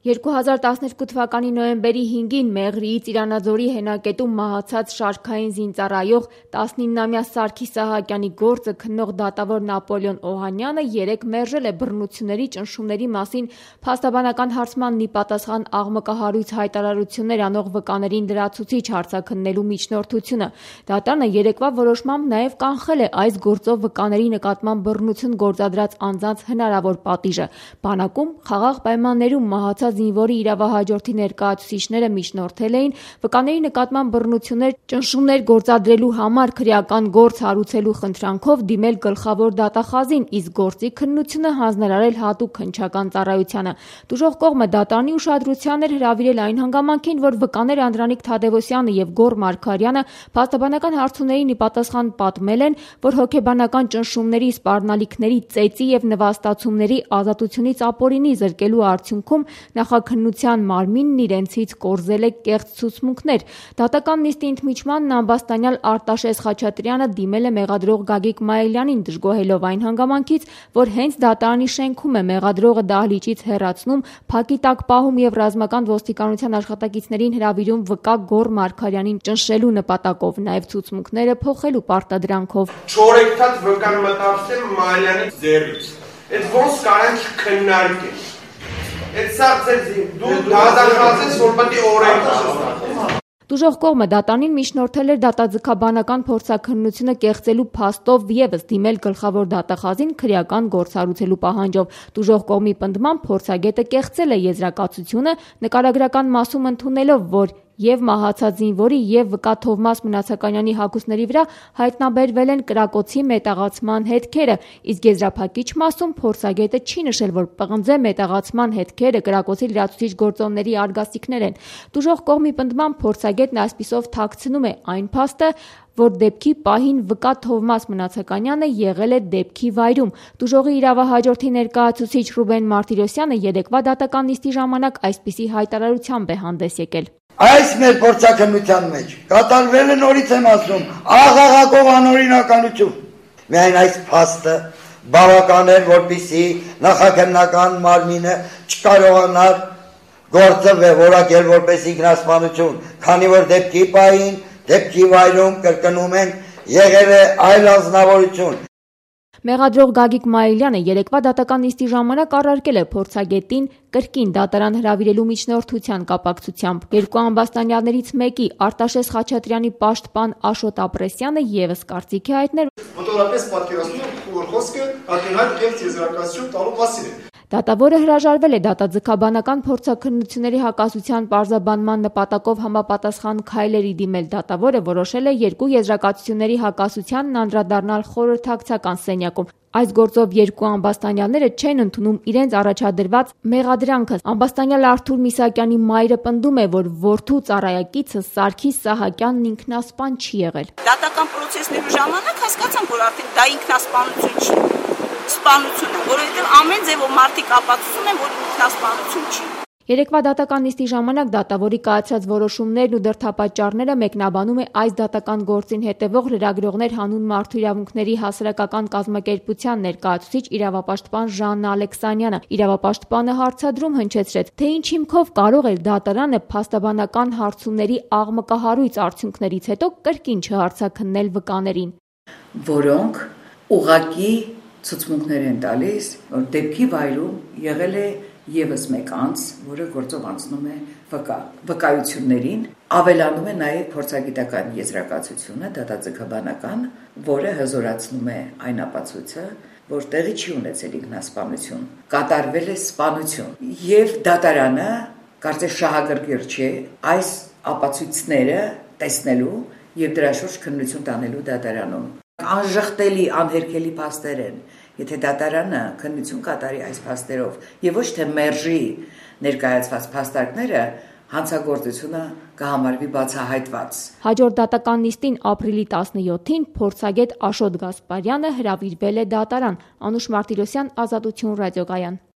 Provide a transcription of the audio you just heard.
2012 թվականի նոյեմբերի 5-ին Մեղրիի Ծիրանաձորի հենակետում մահացած շարքային զինծառայող 19-ամյա Սարգիս Սահակյանի գործը քննող դատավոր Նապոլեոն Օհանյանը երեկ մերժել է բռնությունների, ճնշումների մասին փաստաբանական հարցմանն ի պատասխան աղմկահարույց հայտարարություններ անող վկաներին լրացուցիչ հարցաքննելու միջնորդությունը։ Դատարանը երեկվա որոշմամբ նաև կանխել է այս գործով վկաների նկատմամբ բռնություն գործադրած անձանց հնարավոր պատիժը։ Բանակում խաղաղ պայմաններում մահացած զինվորի իրավահաջորդի ներկայացուցիչները միջնորդել էին վկաների նկատմամբ բռնություններ, ճնշումներ գործադրելու համար քրեական գործ հարուցելու խնդրանքով դիմել գլխավոր դատախազին, իսկ գործի քննությունը հանձնարարել հատուկ քննչական ծառայությանը։ Տուժող կողմը դատարանի ուշադրությանն էր հրավիրել այն հանգամանքին, որ վկաներ Անդրանիկ Թադևոսյանը եւ Գոռ Մարգարյանը փաստաբանական հարցումներին ի պատասխան պատմել են, որ հոգեբանական ճնշումների, սպառնալիքների, ծեծի եւ նվաստացումների, ազատությունից ապօրինի զրկելու արդյունքում նախաքննության մարմինն իրենցից կորզել է կեղծ ցուցմունքներ։ Դատական նիստի ընդմիջմանն ամբաստանյալ Արտաշես Խաչատրյանը դիմել է մեղադրող Գագիկ Մայիլյանին, դժգոհելով այն հանգամանքից, որ հենց դատարանի շենքում է մեղադրողը դահլիճից հեռացնում, փակի տակ պահում եւ ռազմական ոստիկանության աշխատակիցներին հրավիրում վկա Գոռ Մարգարյանին ճնշելու նպատակով, նաեւ ցուցմունքները փոխելու պարտադրանքով։ 4 հատ վկան մտածել Մայիլյանի ձեռից։ Այդ ոնց կարանք քննարկել։ Դու դատախազես, որ պետք է օրենք։ Տուժող կողմը դատարանին միջնորդել էր դատաձգաբանական փորձաքննությունը կեղծելու փաստով եւս դիմել գլխավոր դատախազին քրեական գործ հարուցելու պահանջով։ Տուժող կողմի պնդմամբ փորձագետը կեղծել է եզրակացությունը, նկարագրական մասում ընդունելով, որ եւ մահացած զինվորի եւ վկա Թովմաս Մնացականյանի հագուստների վրա հայտնաբերվել են կրակոցի մետաղացման հետքերը, իսկ եզրափակիչ մասում փորձագետը չի նշել, որ պղնձե մետաղացման հետքերը կրակոցի լրացուցիչ գործոնների արգասիքներ են։ Տուժող կողմի պնդմամբ փորձագետն այսպիսով թաքցնում է այն փաստը, որ դեպքի պահին վկա Թովմաս Մնացականյանը եղել է դեպքի վայրում։ Տուժողի իրավահաջորդի ներկայացուցիչ Ռուբեն Մարտիրոսյանը երեկվա դատական նիստի ժամանակ այսպիսի հայտարարությամբ է հանդես եկել։ Այս մեր փորձաքննության մեջ կատարվել է, նորից եմ ասում, աղաղակող անօրինականություն։ Միայն այս փաստը բավական էր, որպեսզի նախաքննական մարմինը չկարողանար գործը որակել որպես ինքնասպանություն, քանի որ դեպքի պահին, դեպքի վայրում կրկնում են եղել է այլ անձնավորություն։ Մեղադրող Գագիկ Մայիլյանը երեկվա դատական նիստի ժամանակ առարկել է փորձագետին կրկին դատարան հրավիրելու միջնորդության կապակցությամբ։ Երկու ամբաստանյալներից մեկի Արտաշես Խաչատրյանի պաշտպան Աշոտ Ապրեսյանը եւս կարծիք է հայտնել, մոտորապես պատկերացնում, որ խոսքը ակնհայտ կեղծ եզրակացություն տալու մասին է։ Դատավորը հրաժարվել է դատաձգաբանական փորձաքննությունների հակասության պարզաբանման նպատակով համապատասխան քայլերի դիմել։ Դատավորը որոշել է երկու եզրակացությունների հակասությանն անդրադառնալ խորհրդակցական սենյակում։ Այս գործով երկու ամբաստանյալները չեն ընդունում իրենց առաջադրված մեղադրանքը։ Ամբաստանյալ Արթուր Միսակյանի մայրը պնդում է, որ որդու ծառայակիցը Սարգիս Սահակյանն ինքնասպան չի եղել։ Դատական պրոցեսների ժամանակ հասկացան, որ արդեն դա ինքնասպանություն չի, սպանություն է, որովհետև ամեն ձևով մարդիկ ապացուցում են, որ ինքնասպանություն չի։ Երեկվա դատական նիստի ժամանակ դատավորի կայացրած որոշումներն ու դրդապատճառները մեկնաբանում է այս դատական գործին հետևող լրագրողներ հանուն մարդու իրավունքների հասարակական կազմակերպության ներկայացուցիչ իրավապաշտպան Ժաննա Ալեքսանյանը։ Իրավապաշտպանը հարցադրում հնչեցրեց, թե ինչ հիմքով կարող էր դատարանը փաստաբանական հարցումների աղմկահարույց արդյունքներից հետո կրկին չհարցաքննել վկաներին, որոնք ուղղակի ցուցմունքներ են տալիս, որ դեպքի վայրում եղել է եւս մեկ անձ, որը գործով անցնում է վկայություններին, ավելանում է նաև փորձագիտական եզրակացությունը, դատաձգաբանական, որը հզորացնում է այն ապացույցը, որ տեղի չի ունեցել ինքնասպանություն, կատարվել է սպանություն, եւ դատարանը կարծես շահագրգիռ չէ այս ապացույցները տեսնելու եւ դրա շուրջ քննություն տանելու դատարանում։ Անժխտելի, անհերքելի փաստեր են, եթե դատարանը քննություն կատարի այս փաստերով եւ ոչ թե մերժի ներկայացված փաստարկները, հանցագործությունը կհամարվի բացահայտված։ Հաջորդ դատական նիստին ապրիլի 17-ին փորձագետ Աշոտ Գասպարյանը հրավիրվել է դատարան։ Անուշ Մարտիրոսյան, Ազատություն ռադիոկայան։